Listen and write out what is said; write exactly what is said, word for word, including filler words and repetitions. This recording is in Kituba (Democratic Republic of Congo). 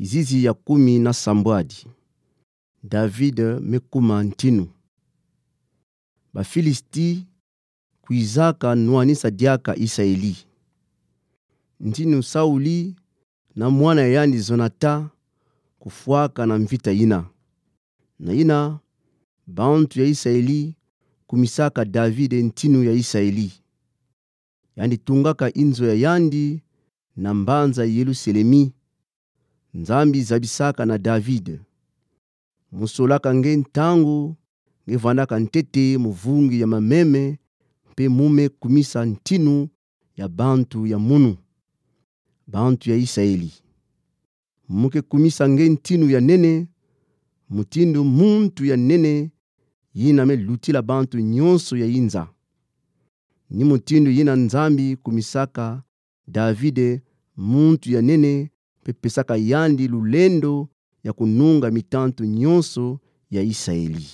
Kizizi ya kumi na sambwadi. David me kuma ntinu. Bafilisti kwizaka nwanisa diaka Isaeli. Ntinu Sauli na mwana ya yandi Jonatan kufwaka na mvita yina. Na yina, bantu ya Isaeli kumisaka David ntinu ya Isaeli. Yandi tungaka inzo ya yandi na mbanza Yelusalemi. Nzambi zabisaka na David. Mu solaka nge ntangu nge vandaka ntete mu vungi ya mameme, mpe mu me kumisa ntinu ya bantu ya munu, bantu ya Isaeli. Mu ke kumisa nge ntinu ya nene, mutindu muntu ya nene yina me lutila bantu nyonso ya inza. Ni mutindu yina Nzambi kumisaka David, muntu ya nene, mpe pesaka yandi lulendo ya kununga mitantu nyonso ya Isaeli.